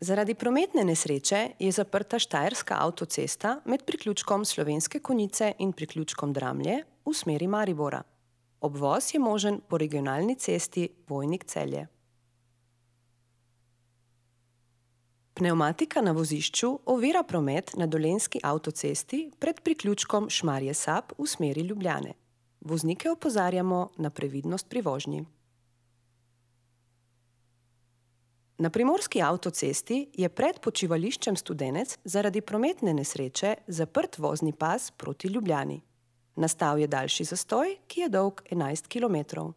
Zaradi prometne nesreče je zaprta Štajerska avtocesta med priključkom Slovenske Konjice in priključkom Dramlje v smeri Maribora. Obvoz je možen po regionalni cesti Vojnik-Celje. Pnevmatika na vozišču ovira promet na Dolenjski avtocesti pred priključkom Šmarje-Sap v smeri Ljubljane. Voznike opozarjamo na previdnost pri vožnji. Na Primorski avtocesti je pred počivališčem Studenec zaradi prometne nesreče zaprt vozni pas proti Ljubljani. Nastal je daljši zastoj, ki je dolg 11 kilometrov.